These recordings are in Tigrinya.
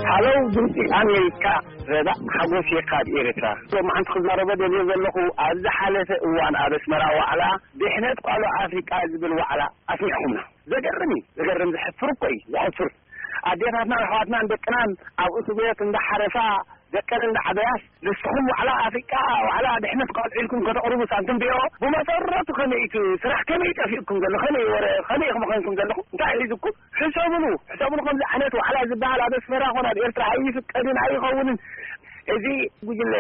ሃለው ድምፂ ኣሜሪካ፣ ረዳእ ሓጎስ እየ ካብ ኤርትራ። ሎማዓንቲ ክዛረቦ ደልየ ዘለኹ፣ ኣብ ዝሓለፈ እዋን ኣብ ኣስመራ ዋዕላ ድሕነት ቃልዑ ኣፍሪቃ ዝብል ዋዕላ ኣስሚዕኹምና። ዘገርም እዩ፣ ዘገርም፣ ዘሕፍር እኮ እዩ፣ ዘሕፍር። ኣዴታትና ኣሕዋትናን ደቅናን ኣብ እስር ቤት እንዳሓረሳ ደቀን እንዳዓበያስ፣ ንስኹም ዋዕላ ኣፍሪቃ፣ ዋዕላ ድሕነት ቃልዑ ኢልኩም ከተቕርቡ ሳንቲም ቢኦ፣ ብመሰረቱ ከመይ እዩ እቲ ስራሕ፣ ከመይ ጠፊእኩም ዘሎ፣ ከመይ ወረ፣ ከመይ ኢኹም ኮይንኩም ዘለኹም፣ እንታይ ሒዝኩም? ሕሰብሉ፣ ሕሰብሉ። ከምዚ ዓይነት ዋዕላ ዝበሃል ኣብ ኣስመራ ኮነ ኣብ ኤርትራ ኣይፍቀድን፣ ኣይኸውንን። እዚ ጉጅለ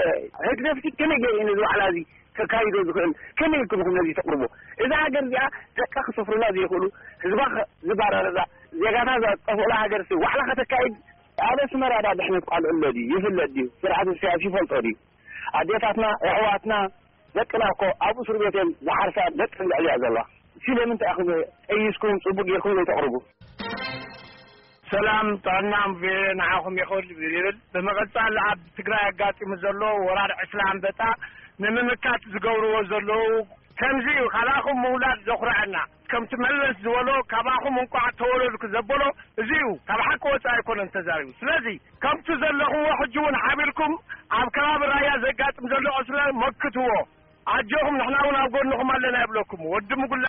ህግደፍ ከመይ ገይሩ እዩ ነዚ ዋዕላ እዚ ከካይዶ ዝኽእል? ከመይ ኢልኩም ኢኹም ነዚ ተቕርቦ? እዛ ሃገር እዚኣ ደቃ ክሰፍሩላ ዘይኽእሉ፣ ህዝባ ከ-፣ ዝባረረላ፣ ዜጋታት ዝጠፍኡላ ሃገር ሲ ዋዕላ ከተካይድ? ኣብ ኣስመራ ዳ ድሕነት ቃልዑ ኣሎ ድዩ? ይፍለጥ ድዩ? ስርዓት ኢሳያስ ይፈልጦ ድዩ? ኣዴታትና፣ ኣሕዋትና፣ ደቅና እኮ ኣብ እስር ቤት እዮም ዝሓርሳ፣ ደቂ ልዕልያ ዘለዋ። ስለምንታይ ኢኹም ጠይስኩም ጽቡቅ ጌርኩም ዘይተቕርቡ? ሰላም ጥዕና ቪኦኤ ንዓኹም ይኹን ይብል። ብምቕጻል ኣብ ትግራይ ኣጋጢሙ ዘሎ ወራር ዕስለ ኣንበጣ ንምምካት ዝገብርዎ ዘለዉ ከምዚ እዩ። ካባኹም ምውላድ ዘኹርዐና። ከምቲ መለስ ዝበሎ ካባኹም እንቋዕ ተወለድኩ ዘበሎ እዚ እዩ። ካብ ሓቂ ወጻኢ ኣይኮነን ተዛሪቡ። ስለዚ ከምቲ ዘለኹምዎ ሕጂ እውን ሓቢርኩም ኣብ ከባቢ ራያ ዘጋጥም ዘሎ ዕስለ መክትዎ። ኣጆኹም ንሕና እውን ኣብ ጎንኹም ኣለና ይብለኩም ወዲ ምጉላ።